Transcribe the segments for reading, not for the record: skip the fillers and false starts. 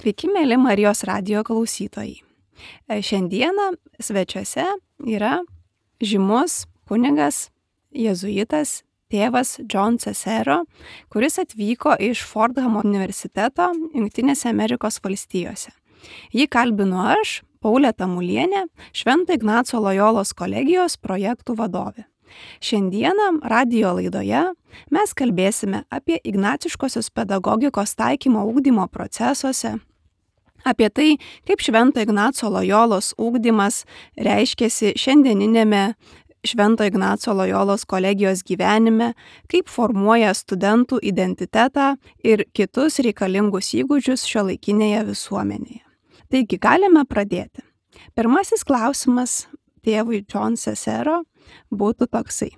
Sveiki, mėly Marijos radijo klausytojai. Šiandieną svečiuose yra žymus kunigas, jėzuitas, tėvas John Cesero, kuris atvyko iš Fordhamo universiteto Jungtinėse Amerikos valstijose. Jį kalbinu aš, Paulė Tamulienė, Švento Ignaco Lojolos kolegijos projektų vadovė. Šiandieną radijo laidoje mes kalbėsime apie ignaciškosios pedagogikos taikymo ugdymo procesuose, apie tai, kaip Švento Ignaco Lojolos ugdymas reiškėsi šiandieninėme Švento Ignaco Lojolos kolegijos gyvenime, kaip formuoja studentų identitetą ir kitus reikalingus įgūdžius šiuolaikinėje visuomenėje. Taigi galime pradėti. Pirmasis klausimas tėvui John Cesero būtų toksai.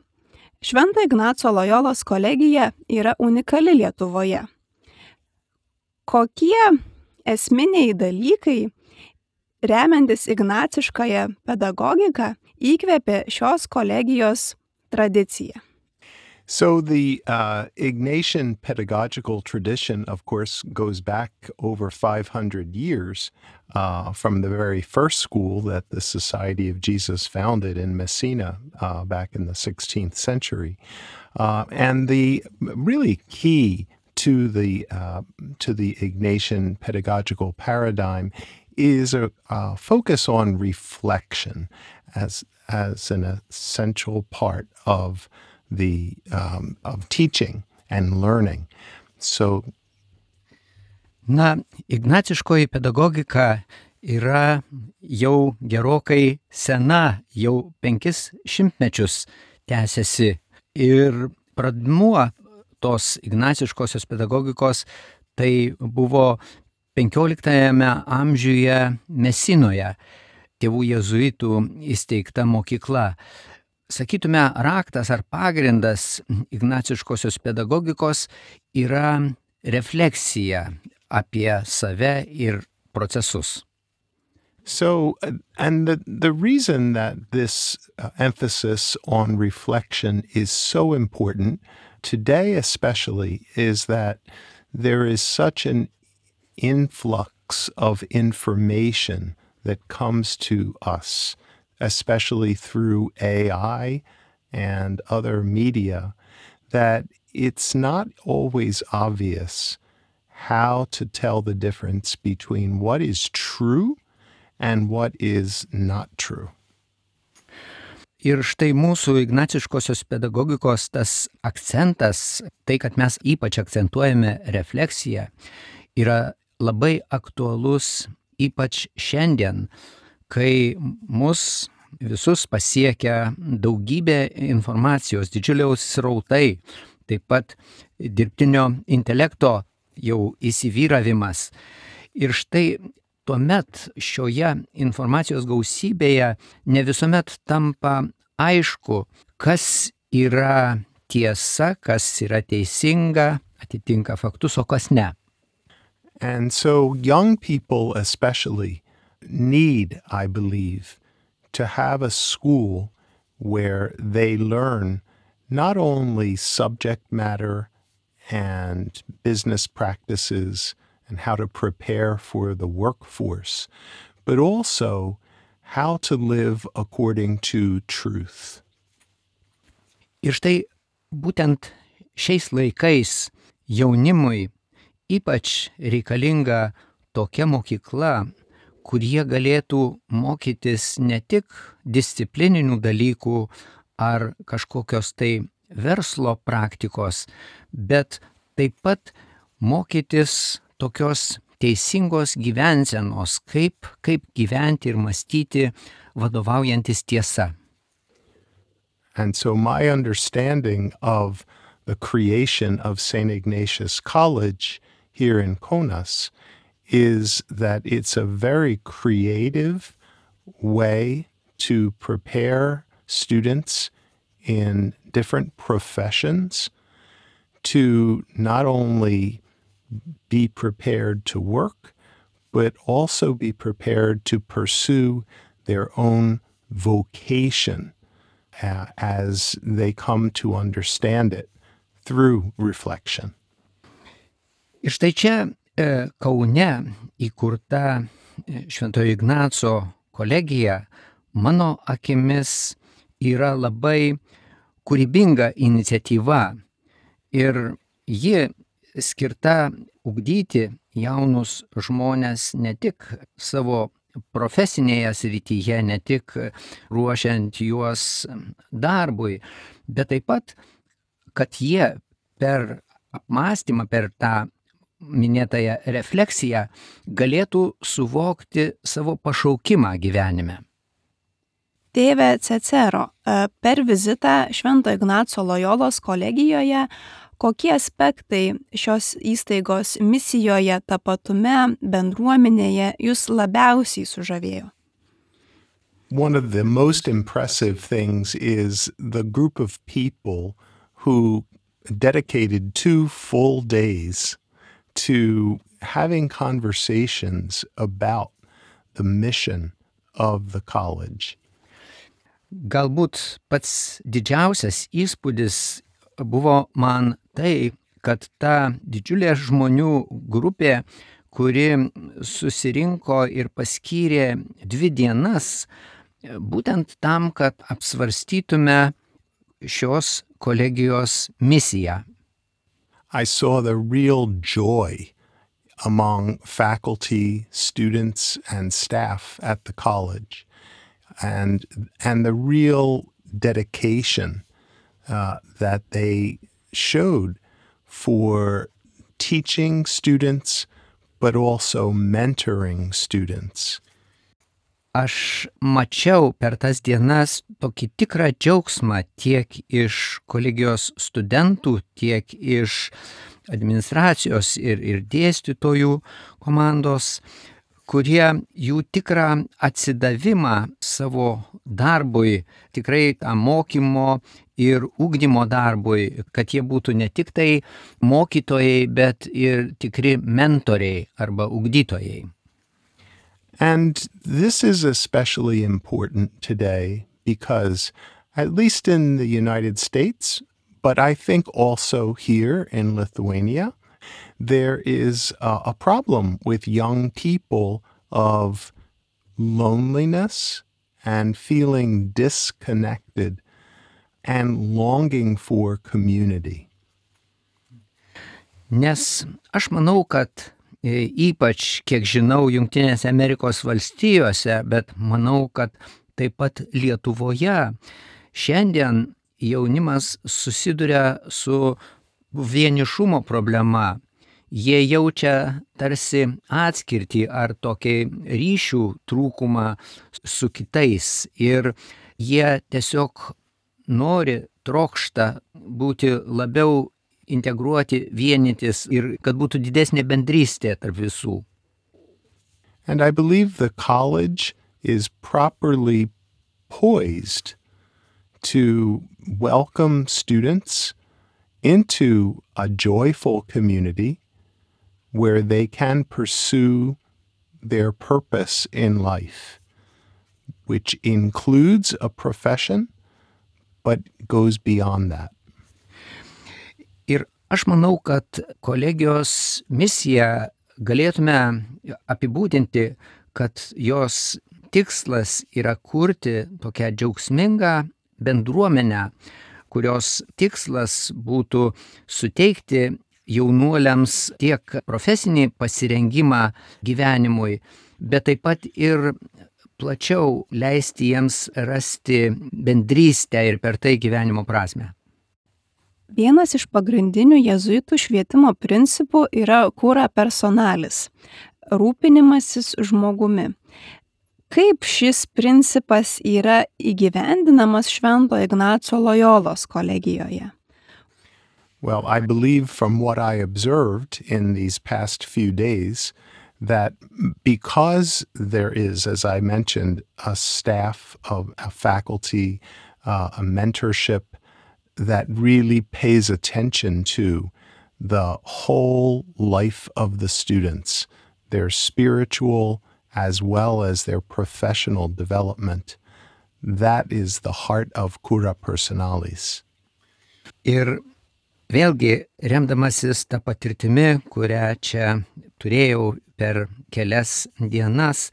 Švento Ignaco Lojolos kolegija yra unikali Lietuvoje. Kokie esminiai dalykai, remiantis ignaciškąją pedagogiką, įkvėpė šios kolegijos tradiciją? So the Ignatian pedagogical tradition, of course, goes back over 500 years from the very first school that the Society of Jesus founded in Messina back in the 16th century. And the really key to the Ignatian pedagogical paradigm is a focus on reflection as an essential part of of teaching and learning. So, ignaciškoji pedagogika yra jau gerokai sena, jau 500 mečius tęsiasi. Ir pradmuo tos ignaciškosios pedagogikos tai buvo 15 amžiuje Mesinoje, tėvų jėzuitų įsteigta mokykla. Sakytume, raktas ar pagrindas ignaciškosios pedagogikos yra refleksija apie save ir procesus. So, and the reason that this emphasis on reflection is so important today especially is that there is such an influx of information that comes to us, especially through AI and other media, that it's not always obvious how to tell the difference between what is true and what is not true. Ir štai mūsų ignaciškosios pedagogikos tas akcentas, tai, kad mes ypač akcentuojame refleksiją, yra labai aktualus ypač šiandien, kai mus visus pasiekia daugybė informacijos, didžiuliaus srautai, taip pat dirbtinio intelekto jau įsivyravimas. Ir štai tuomet šioje informacijos gausybėje ne visuomet tampa aišku, kas yra tiesa, kas yra teisinga, atitinka faktus, o kas ne. And so young people especially need, I believe, to have a school where they learn not only subject matter and business practices and how to prepare for the workforce, but also how to live according to truth. Ir štai būtent šiais laikais jaunimui ypač reikalinga tokia mokykla, kurie galėtų mokytis ne tik disciplininių dalykų ar kažkokios tai verslo praktikos, bet taip pat mokytis tokios teisingos gyvensenos, kaip gyventi ir mąstyti vadovaujantis tiesa. And so my understanding of the creation of St. Ignatius College here in Kaunas is that it's a very creative way to prepare students in different professions to not only be prepared to work, but also be prepared to pursue their own vocation as they come to understand it through reflection. Ir štai čia Kaune įkurta Šventojo Ignaco kolegija, mano akimis, yra labai kūrybinga iniciatyva ir ji skirta ugdyti jaunus žmonės ne tik savo profesinėje srityje, ne tik ruošiant juos darbui, bet taip pat, kad jie per apmąstymą, per tą minėtąją refleksiją galėtų suvokti savo pašaukimą gyvenime. Tėve Cecero, per vizitą Švento Ignaco Lojolos kolegijoje, kokie aspektai šios įstaigos misijoje, tapatume, bendruomenėje jūs labiausiai sužavėjo? One of the most impressive things is the group of people who dedicated 2 full days to having conversations about the mission of the college. Galbūt pats didžiausias įspūdis buvo man tai, kad ta didžiulė žmonių grupė, kuri susirinko ir paskyrė 2 dienas būtent tam, kad apsvarstytume šios kolegijos misiją. I saw the real joy among faculty, students, and staff at the college, and the real dedication that they showed for teaching students, but also mentoring students. Aš mačiau per tas dienas tokį tikrą džiaugsmą tiek iš kolegijos studentų, tiek iš administracijos ir dėstytojų komandos, kurie jų tikrą atsidavimą savo darbui, tikrai tą mokymo ir ugdymo darbui, kad jie būtų ne tik tai mokytojai, bet ir tikri mentoriai arba ugdytojai. And this is especially important today because, at least in the United States, but I think also here in Lithuania, there is a problem with young people of loneliness and feeling disconnected and longing for community. Nes aš manau, kad ypač, kiek žinau, Jungtinėse Amerikos valstijose, bet manau, kad taip pat Lietuvoje šiandien jaunimas susiduria su vienišumo problema. Jie jaučia tarsi atskirtį ar tokį ryšių trūkumą su kitais ir jie tiesiog nori, trokšta būti labiau integruoti, vienytis ir kad būtų didesnė bendrystė tarp visų. And I believe the college is properly poised to welcome students into a joyful community where they can pursue their purpose in life, which includes a profession, but goes beyond that. Ir aš manau, kad kolegijos misiją galėtume apibūdinti, kad jos tikslas yra kurti tokią džiaugsmingą bendruomenę, kurios tikslas būtų suteikti jaunuoliams tiek profesinį pasirengimą gyvenimui, bet taip pat ir plačiau leisti jiems rasti bendrystę ir per tai gyvenimo prasmę. Vienas iš pagrindinių jėzuitų švietimo principų yra cura personalis – rūpinimasis žmogumi. Kaip šis principas yra įgyvendinamas Švento Ignaco Lojolos kolegijoje? Well, I believe from what I observed in these past few days that because there is, as I mentioned, a staff of a faculty, a mentorship that really pays attention to the whole life of the students, their spiritual as well as their professional development. That is the heart of cura personalis. Ir Vėlgi, remdamasis tą patirtimi, kurią čia turėjau per kelias dienas,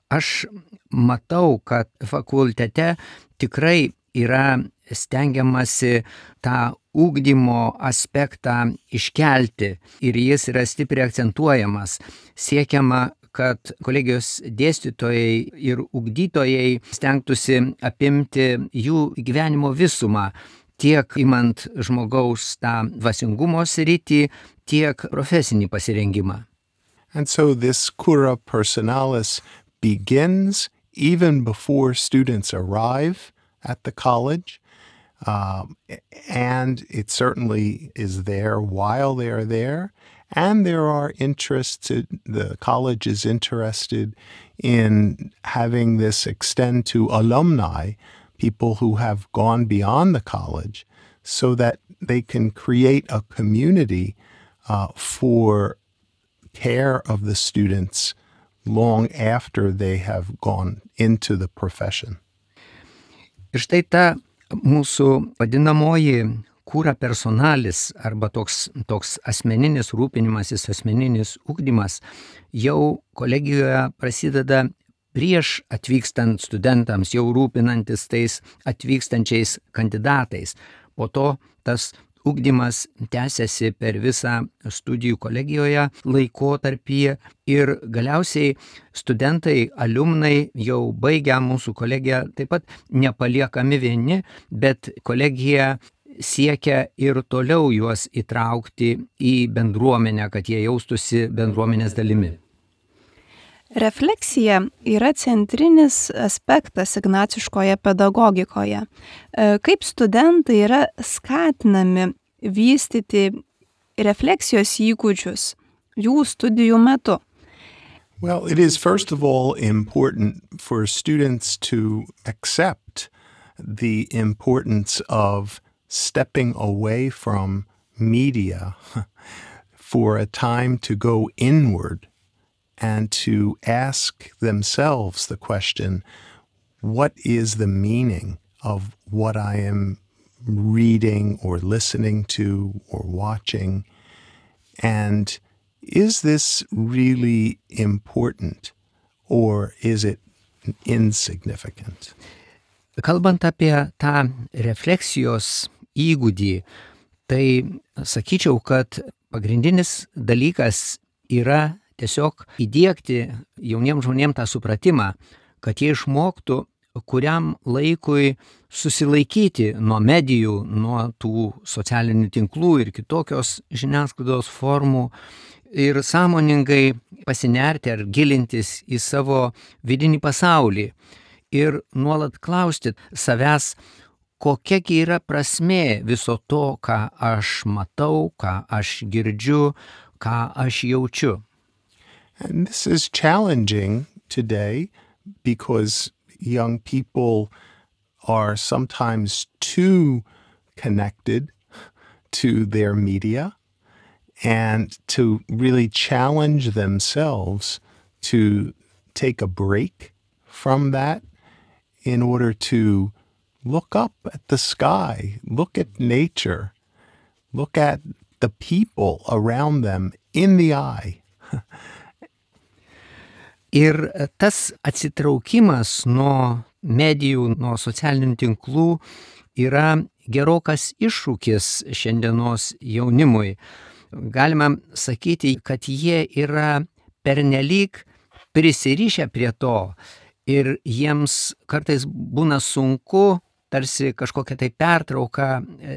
aš matau, kad fakultete tikrai yra stengiamasi tą ugdymo aspektą iškelti ir jis yra stipriai akcentuojamas. Siekiama, kad kolegijos dėstytojai ir ugdytojai stengtųsi apimti jų gyvenimo visumą, tiek imant žmogaus tą dvasingumo sritį, tiek profesinį pasirengimą. And so this cura personalis begins even before students arrive at the college, and it certainly is there while they are there. And there are interests, the college is interested in having this extend to alumni, people who have gone beyond the college, so that they can create a community for care of the students long after they have gone into the profession. Ir štai ta mūsų vadinamoji cura personalis arba toks asmeninis rūpinimasis, asmeninis ugdymas jau kolegijoje prasideda prieš atvykstant studentams, jau rūpinantis tais atvykstančiais kandidatais. Po to tas ugdymas tęsiasi per visą studijų kolegijoje laikotarpyje ir galiausiai studentai, alumnai jau baigę mūsų kolegiją taip pat nepaliekami vieni, bet kolegija siekia ir toliau juos įtraukti į bendruomenę, kad jie jaustųsi bendruomenės dalimi. Refleksija yra centrinis aspektas ignaciškoje pedagogikoje. Kaip studentai yra skatinami vystyti refleksijos įgūdžius jų studijų metu? Well, it is first of all important for students to accept the importance of stepping away from media for a time to go inward and to ask themselves the question, what is the meaning of what I am reading or listening to or watching? And is this really important or is it insignificant? Kalbant apie tą refleksijos įgūdį, tai sakyčiau, kad pagrindinis dalykas yra tiesiog įdiegti jauniems žmonėms tą supratimą, kad jie išmoktų kuriam laikui susilaikyti nuo medijų, nuo tų socialinių tinklų ir kitokios žiniasklaidos formų ir sąmoningai pasinerti ar gilintis į savo vidinį pasaulį ir nuolat klausti savęs, kokiagi yra prasmė viso to, ką aš matau, ką aš girdžiu, ką aš jaučiu. And this is challenging today because young people are sometimes too connected to their media, and to really challenge themselves to take a break from that in order to look up at the sky, look at nature, look at the people around them in the eye. Ir tas atsitraukimas nuo medijų, nuo socialinių tinklų yra gerokas iššūkis šiandienos jaunimui. Galima sakyti, kad jie yra pernelyg prisirišę prie to ir jiems kartais būna sunku tarsi kažkokią tai pertrauką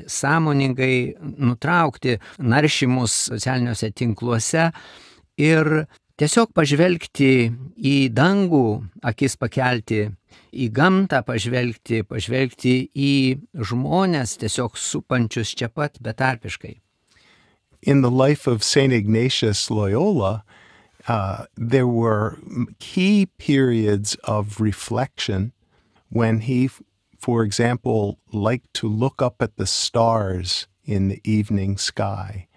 sąmoningai nutraukti naršymus socialiniuose tinkluose ir tiesiog pažvelgti į dangų, akis pakelti, į gamtą pažvelgti į žmones tiesiog supančius čia pat betarpiškai. In the life of St. Ignatius Loyola, there were key periods of reflection when he, for example, liked to look up at the stars in the evening sky,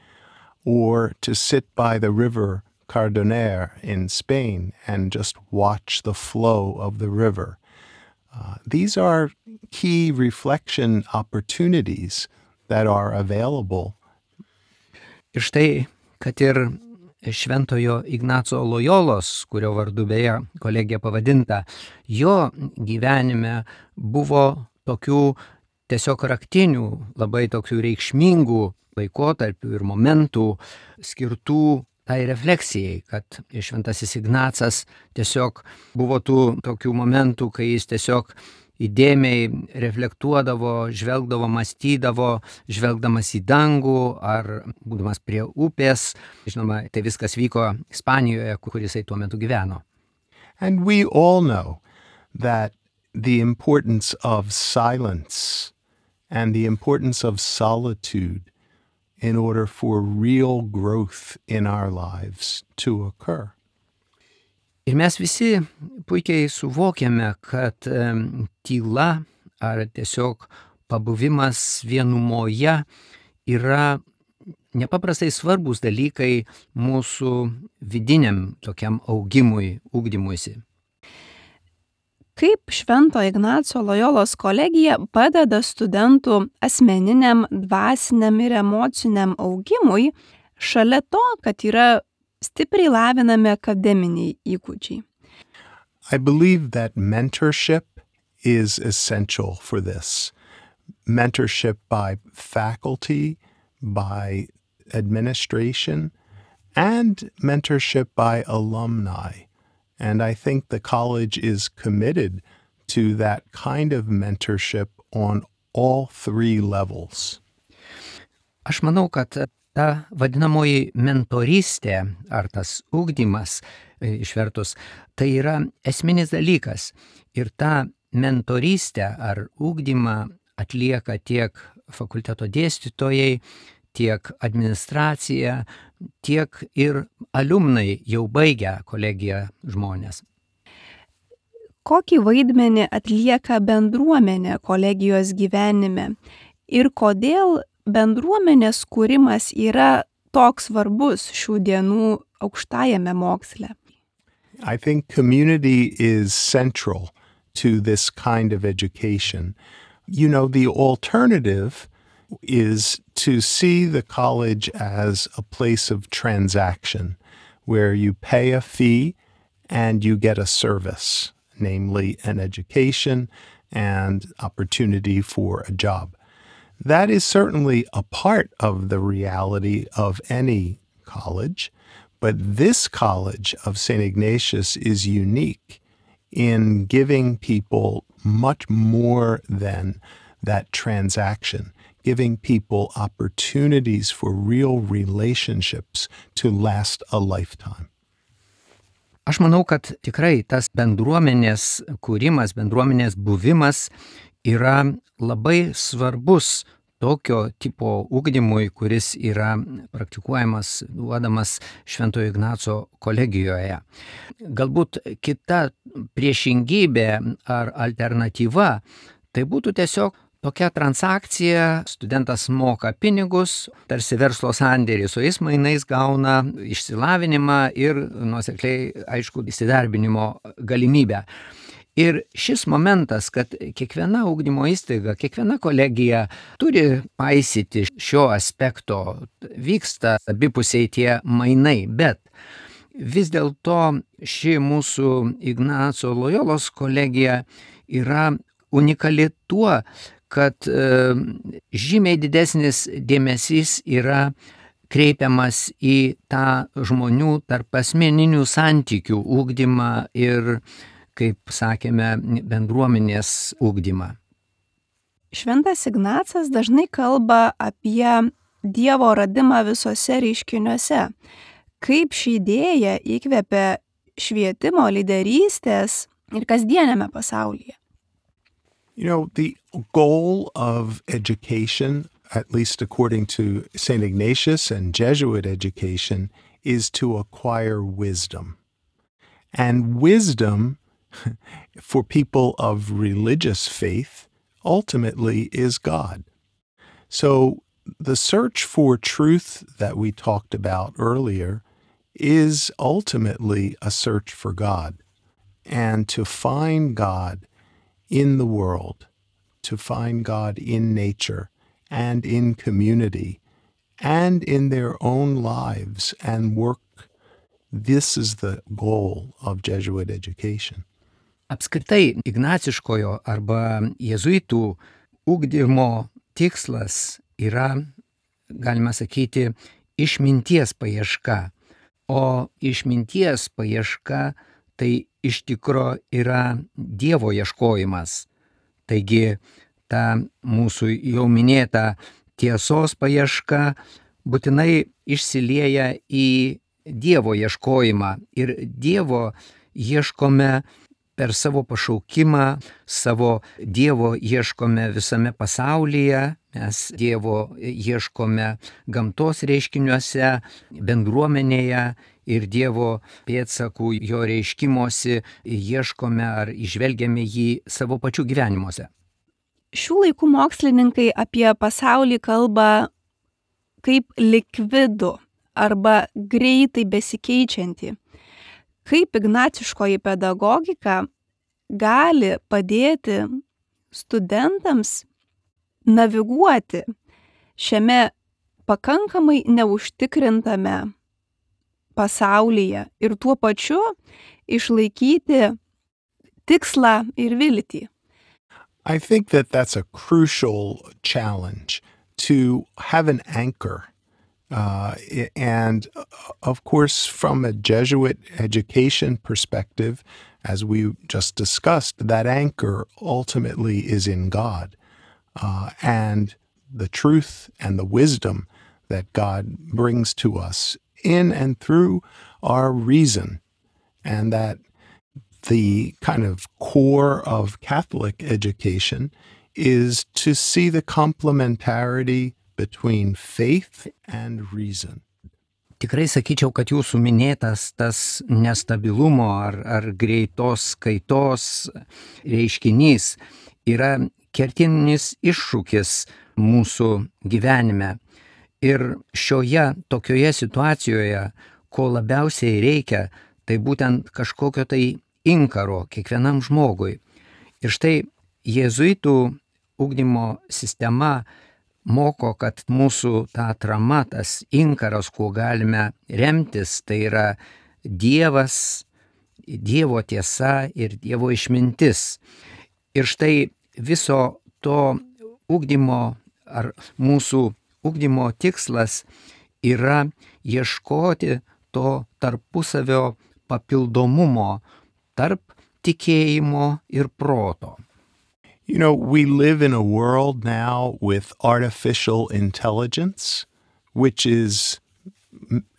or to sit by the river Cardoner in Spain and just watch the flow of the river. These are key reflection opportunities that are available Ir štai, kad ir Šventojo Ignaco Lojolos, kurio vardu beje kolegija pavadinta, jo gyvenime buvo tokių tiesiog raktinių, labai tokių reikšmingų laikotarpių ir momentų skirtų tai refleksijai, kad Šventasis Ignacas tiesiog buvo tų tokių momentų, kai jis tiesiog įdėmiai reflektuodavo, žvelgdavo, mąstydavo, žvelgdamas į dangų ar būdamas prie upės. Žinoma, tai viskas vyko Ispanijoje, kur jisai tuo metu gyveno. And we all know that the importance of silence and the importance of solitude in order for real growth in our lives to occur. Ir mes visi puikiai suvokiame, kad tyla ar tiesiog pabuvimas vienumoje yra nepaprastai svarbus dalykai mūsų vidiniam tokiam augimui, ugdymuisi. Kaip Švento Ignaco Lojolos kolegija padeda studentų asmeniniam, dvasiniam ir emociniam augimui, šalia to, kad yra stipriai lavinami akademiniai įgūdžiai? I believe that mentorship is essential for this. Mentorship by faculty, by administration, and mentorship by alumni. And I think the college is committed to that kind of mentorship on all three levels. Aš manau, kad ta vadinamoji mentorystė ar tas ugdymas išvertus, tai yra esminis dalykas. Ir tą mentorystę ar ugdymą atlieka tiek fakulteto dėstytojai, tiek administracija, tiek ir alumnai jau baigę kolegiją žmonės. Kokį vaidmenį atlieka bendruomenė kolegijos gyvenime ir kodėl bendruomenės kūrimas yra toks svarbus šių dienų aukštajame moksle? I think community is central to this kind of education. You know, the alternative is to see the college as a place of transaction where you pay a fee and you get a service, namely an education and opportunity for a job. That is certainly a part of the reality of any college, but this college of St. Ignatius is unique in giving people much more than that transaction, giving people opportunities for real relationships to last a lifetime. Aš manau, kad tikrai tas bendruomenės kūrimas, bendruomenės buvimas yra labai svarbus tokio tipo ugdymui, kuris yra praktikuojamas, duodamas Šventojo Ignaco kolegijoje. Galbūt kita priešingybė ar alternatyva, tai būtų tiesiog tokia transakcija, studentas moka pinigus, tarsi verslo sandėrį, su jais mainais gauna išsilavinimą ir nuosekliai, aišku, įsidarbinimo galimybę. Ir šis momentas, kad kiekviena ugdymo įstaiga, kiekviena kolegija turi paisyti šio aspekto, vyksta abipusiai tie mainai, bet vis dėlto ši mūsų Ignaco Lojolos kolegija yra unikali tuo, kad žymiai didesnis dėmesys yra kreipiamas į tą žmonių tarp asmeninių santykių ugdymą ir, kaip sakėme, bendruomenės ugdymą. Šventas Ignacas dažnai kalba apie Dievo radimą visose reiškiniuose. Kaip ši idėja įkvėpė švietimo, lyderystės ir kasdieniame pasaulyje? You know, the goal of education, at least according to St. Ignatius and Jesuit education, is to acquire wisdom. And wisdom, for people of religious faith, ultimately is God. So the search for truth that we talked about earlier is ultimately a search for God. And to find God in the world, to find God in nature and in community, and in their own lives and work. This is the goal of Jesuit education. Apskritai, ignaciškojo arba jėzuitų ugdymo tikslas yra, galima sakyti, išminties paieška. O išminties paieška tai iš tikro yra Dievo ieškojimas. Taigi, ta mūsų jau minėta tiesos paieška būtinai išsilieja į Dievo ieškojimą. Ir Dievo ieškome per savo pašaukimą, savo Dievo ieškome visame pasaulyje, mes Dievo ieškome gamtos reiškiniuose, bendruomenėje ir Dievo pėdsakų jo reiškimosi ieškome ar įžvelgiame jį savo pačių gyvenimuose. Šių laikų mokslininkai apie pasaulį kalba kaip likvidų arba greitai besikeičiantį. Kaip ignaciškoji pedagogika gali padėti studentams naviguoti šiame pakankamai neužtikrintame pasaulyje ir tuo pačiu išlaikyti tikslą ir viltį. I think that that's a crucial challenge to have an anchor. And of course, from a Jesuit education perspective, as we just discussed, that anchor ultimately is in God and the truth and the wisdom that God brings to us in and through our reason, and that the kind of core of Catholic education is to see the complementarity between faith and reason. Tikrai sakyčiau, kad jūsų minėtas tas nestabilumo ar greitos kaitos reiškinys yra kertinis iššūkis mūsų gyvenime. Ir šioje tokioje situacijoje, ko labiausiai reikia, tai būtent kažkokio tai inkaro kiekvienam žmogui. Ir štai jėzuitų ugdymo sistema moko, kad mūsų ta atrama, tas inkaras, kuo galime remtis, tai yra Dievas, Dievo tiesa ir Dievo išmintis. Ir štai viso to ugdymo ar mūsų ugdymo tikslas yra ieškoti to tarpusavio papildomumo tarp tikėjimo ir proto. You know, we live in a world now with artificial intelligence, which is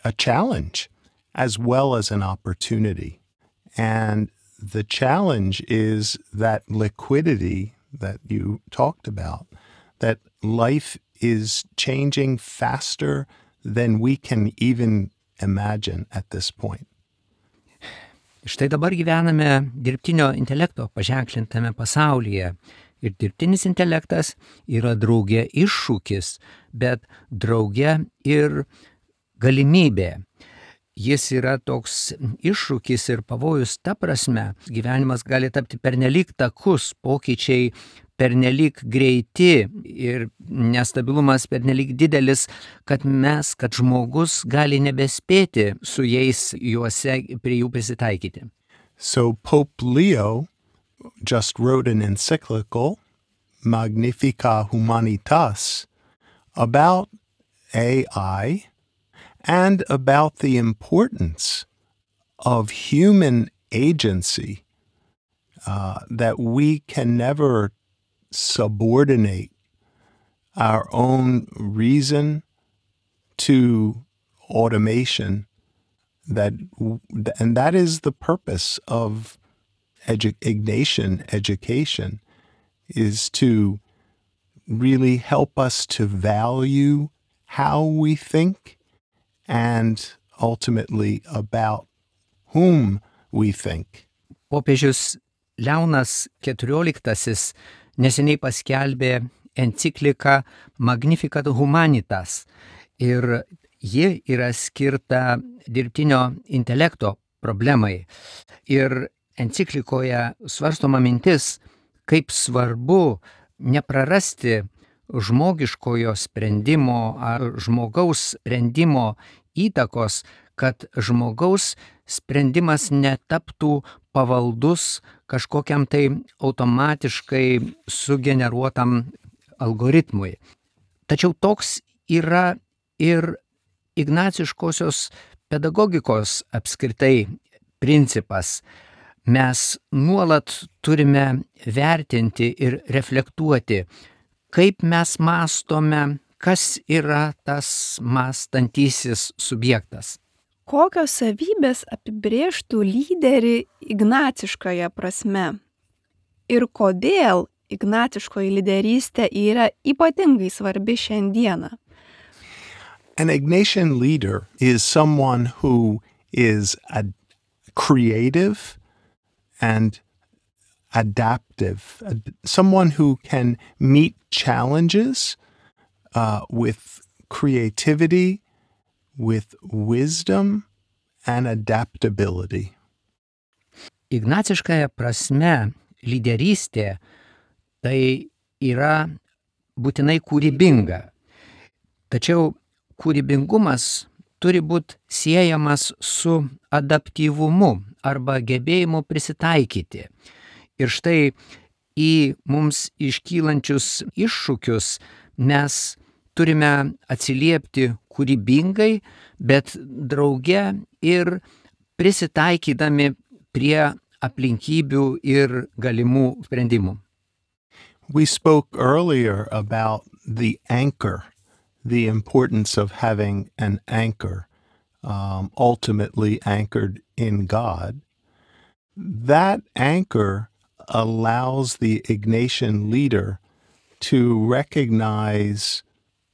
a challenge as well as an opportunity. And the challenge is that liquidity that you talked about, that life is changing faster than we can even imagine at this point. Štai dabar gyvename dirbtinio intelekto paženklintame pasaulyje. Ir dirbtinis intelektas yra drauge iššūkis, bet drauge ir galimybė. Jis yra toks iššūkis ir pavojus ta prasme, gyvenimas gali tapti pernelyg takus, pokyčiai pernelyg greiti ir nestabilumas pernelyg didelis, kad žmogus gali nebespėti su jais juose prie jų prisitaikyti. So Pope Leo just wrote an encyclical, Magnificat Humanitas, about AI and about the importance of human agency, that we can never subordinate our own reason to automation, and that is the purpose of Ignatian education, is to really help us to value how we think and ultimately about whom we think. Popiežius Leonas XIV neseniai paskelbė encikliką Magnificat Humanitas ir ji yra skirta dirbtinio intelekto problemai. Ir enciklikoje svarstoma mintis, kaip svarbu neprarasti žmogiškojo sprendimo ar žmogaus sprendimo įtakos, kad žmogaus sprendimas netaptų pavaldus kažkokiam tai automatiškai sugeneruotam algoritmui. Tačiau toks yra ir ignaciškosios pedagogikos apskritai principas. Mes nuolat turime vertinti ir reflektuoti, kaip mes mąstome, kas yra tas mąstantysis subjektas. Kokios savybės apibrėžtų lyderį ignaciškoje prasme? Ir kodėl ignaciškoji lyderystė yra ypatingai svarbi šiandieną? An Ignatian leader is someone who is creative and adaptive, someone who can meet challenges with creativity, with wisdom and adaptability. Ignaciškąja prasme lyderystė tai yra būtinai kūrybinga. Tačiau kūrybingumas turi būti siejamas su adaptyvumu arba gebėjimu prisitaikyti. Ir štai į mums iškylančius iššūkius mes turime atsiliepti kūrybingai, bet drauge ir prisitaikydami prie aplinkybių ir galimų sprendimų. We spoke earlier about the anchor, the importance of having an anchor, ultimately anchored in God. That anchor allows the Ignatian leader to recognize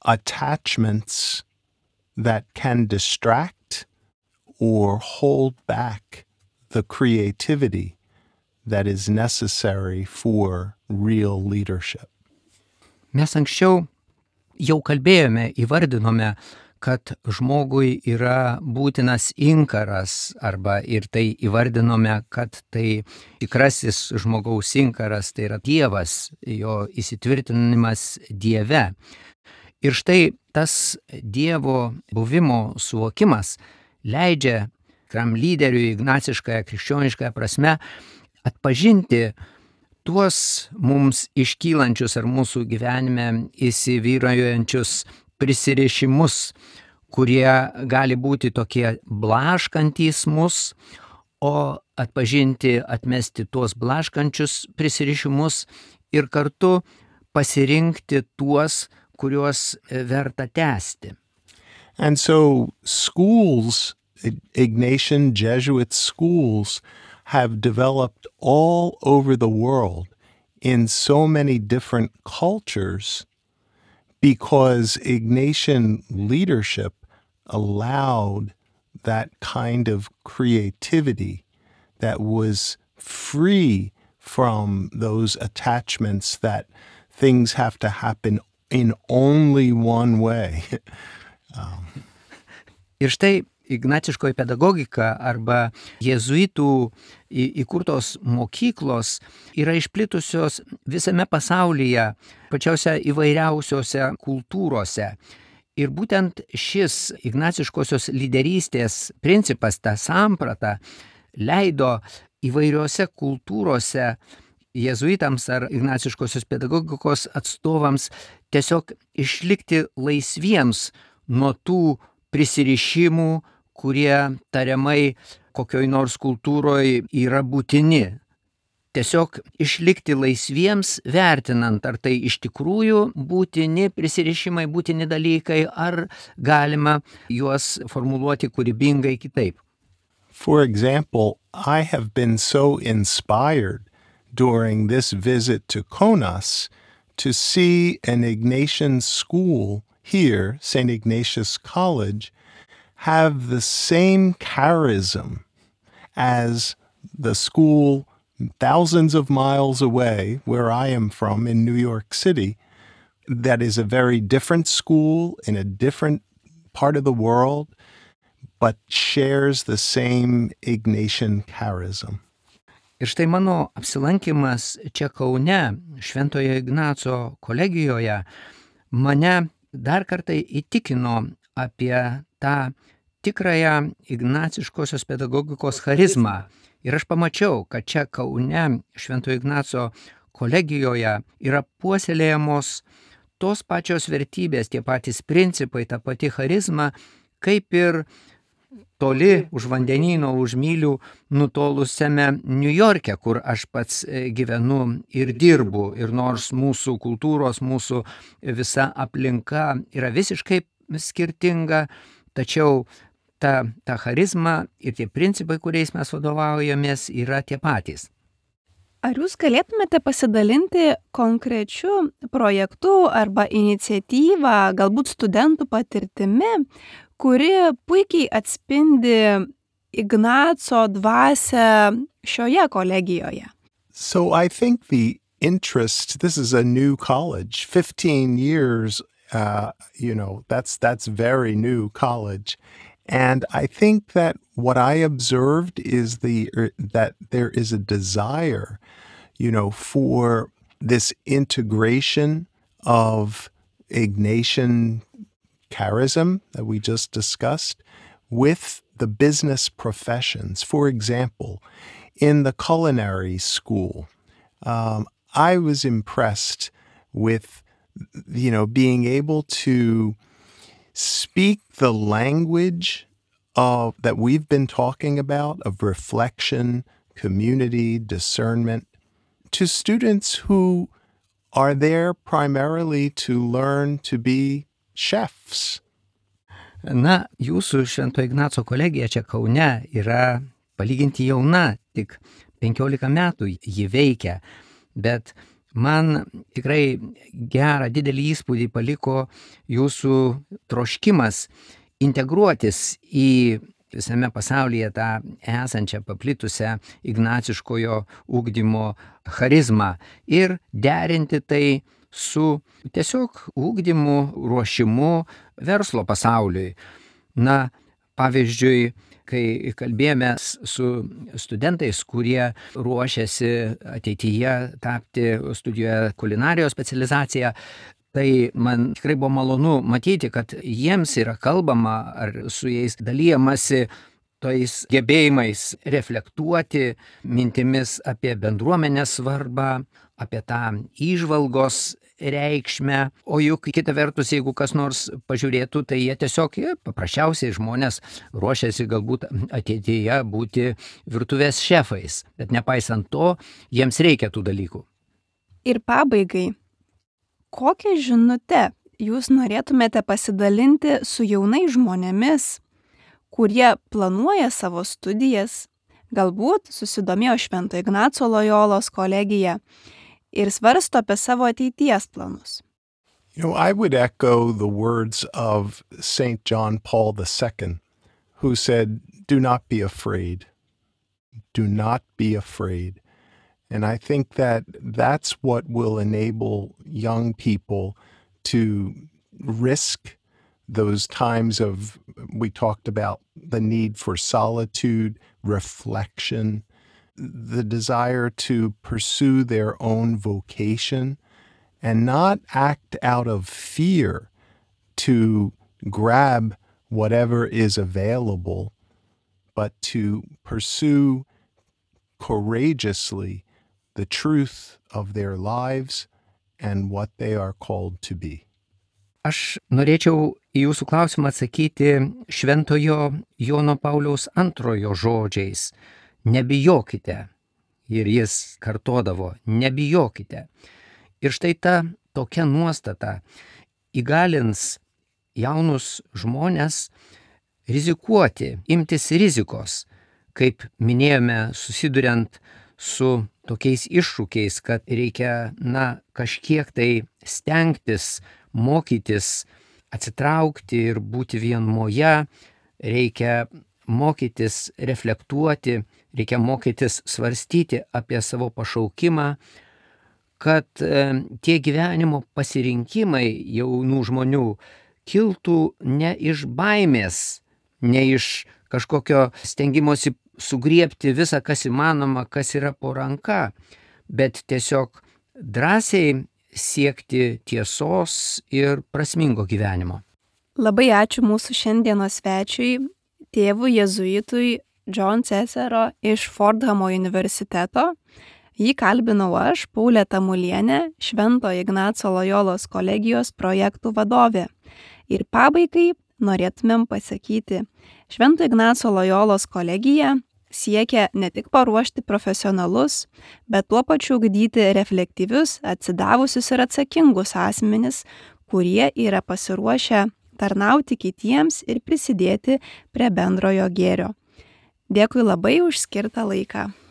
attachments that can distract or hold back the creativity that is necessary for real leadership. Mes anksčiau jau kalbėjome, įvardinome, kad žmogui yra būtinas inkaras, arba ir tai įvardinome, kad tai tikrasis žmogaus inkaras, tai yra Dievas, jo įsitvirtinimas Dieve. Ir štai tas Dievo buvimo suvokimas leidžia tikram lyderiui ignaciškąją krikščioniškąją prasme atpažinti tuos mums iškylančius ar mūsų gyvenime įsivyraujančius prisirišimus, kurie gali būti tokie blaškantys mus, o atpažinti, atmesti tuos blaškančius prisirišimus ir kartu pasirinkti tuos, kuriuos verta tęsti. And so schools, Ignatian Jesuit schools, have developed all over the world in so many different cultures because Ignatian leadership allowed that kind of creativity that was free from those attachments that things have to happen in only one way. Ir štai ignaciškoji pedagogika arba jėzuitų įkurtos mokyklos yra išplitusios visame pasaulyje, pačiose įvairiausiose kultūrose. Ir būtent šis ignaciškosios lyderystės principas, ta samprata, leido įvairiose kultūrose jėzuitams ar ignaciškosios pedagogikos atstovams tiesiog išlikti laisviems nuo tų prisirišimų, kurie tariamai kokioj nors kultūroje yra būtini. Tiesiog išlikti laisviems, vertinant, ar tai iš tikrųjų būtini prisirišimai, būtini dalykai, ar galima juos formuluoti kūrybingai kitaip. For example, I have been so inspired during this visit to Kaunas to see an Ignatian school here, St. Ignatius College, have the same charism as the school thousands of miles away where I am from in New York City. That is a very different school in a different part of the world, but shares the same Ignatian charism. Ir štai mano apsilankimas čia Kaune, Šventojo Ignaco kolegijoje, mane dar kartą įtikino apie tą tikrąją ignaciškosios pedagogikos charizmą. Ir aš pamačiau, kad čia Kaune Švento Ignaco kolegijoje yra puoselėjamos tos pačios vertybės, tie patys principai, ta pati charizma, kaip ir toli už vandenyno, už mylių nutolusiame Niujorke, kur aš pats gyvenu ir dirbu. Ir nors mūsų kultūros, mūsų visa aplinka yra visiškai skirtinga, tačiau ta charizma ir tie principai, kuriais mes vadovaujamės, yra tie patys. Ar jūs galėtumėte pasidalinti konkrečiu projektu arba iniciatyva, galbūt studentų patirtimi, kuri puikiai atspindi Ignaco dvasią šioje kolegijoje? So I think the interest, this is a new college, 15 years, that's very new college. And I think that what I observed is that there is a desire, for this integration of Ignatian charism that we just discussed with the business professions. For example, in the culinary school, I was impressed with, being able to speak the language that we've been talking about, of reflection, community, discernment, to students who are there primarily to learn to be chefs. Na, jūsų Švento Ignaco kolegija čia Kaune yra palyginti jauna, tik 15 metų ji veikia, bet man tikrai gerą didelį įspūdį paliko jūsų troškimas integruotis į visame pasaulyje tą esančią paplitusią ignaciškojo ugdymo charizmą ir derinti tai su tiesiog ugdymu, ruošimu verslo pasauliui. Na, pavyzdžiui, kai kalbėjome su studentais, kurie ruošiasi ateityje tapti studijuoja kulinarijos specializaciją, tai man tikrai buvo malonu matyti, kad jiems yra kalbama ar su jais dalijamasi tais gebėjimais reflektuoti mintimis apie bendruomenės svarbą, apie tą įžvalgos reikšmę, o juk kita vertus, jeigu kas nors pažiūrėtų, tai jie tiesiog paprasčiausiai žmonės ruošiasi galbūt ateityje būti virtuvės šefais, bet nepaisant to, jiems reikia tų dalykų. Ir pabaigai, kokią žinutę jūs norėtumėte pasidalinti su jaunais žmonėmis, kurie planuoja savo studijas, galbūt susidomėjo Švento Ignaco Lojolos kolegija ir svarsto apie savo ateities planus? I would echo the words of St. John Paul II, who said, "Do not be afraid. Do not be afraid." And I think that that's what will enable young people to risk those times of, we talked about the need for solitude, reflection, the desire to pursue their own vocation and not act out of fear to grab whatever is available, but to pursue courageously the truth of their lives and what they are called to be. Aš norėčiau į jūsų klausimą atsakyti Šventojo Jono Pauliaus II žodžiais. Nebijokite. Ir jis kartodavo, nebijokite. Ir štai ta tokia nuostata įgalins jaunus žmonės rizikuoti, imtis rizikos, kaip minėjome, susiduriant su tokiais iššūkiais, kad reikia, kažkiek tai stengtis, mokytis, atsitraukti ir būti vienumoje, reikia mokytis reflektuoti, reikia mokytis svarstyti apie savo pašaukimą, kad tie gyvenimo pasirinkimai jaunų žmonių kiltų ne iš baimės, ne iš kažkokio stengimosi sugriebti visą, kas įmanoma, kas yra po ranka, bet tiesiog drąsiai siekti tiesos ir prasmingo gyvenimo. Labai ačiū mūsų šiandienos svečiui, tėvui jėzuitui John Cesaro iš Fordhamo universiteto. Jį kalbinau aš, Paulė Tamulienė, Švento Ignaco Lojolos kolegijos projektų vadovė. Ir pabaigai norėtumėm pasakyti, Švento Ignaco Lojolos kolegija siekia ne tik paruošti profesionalus, bet tuo pačiu ugdyti reflektyvius, atsidavusius ir atsakingus asmenis, kurie yra pasiruošę tarnauti kitiems ir prisidėti prie bendrojo gėrio. Dėkui labai už skirtą laiką.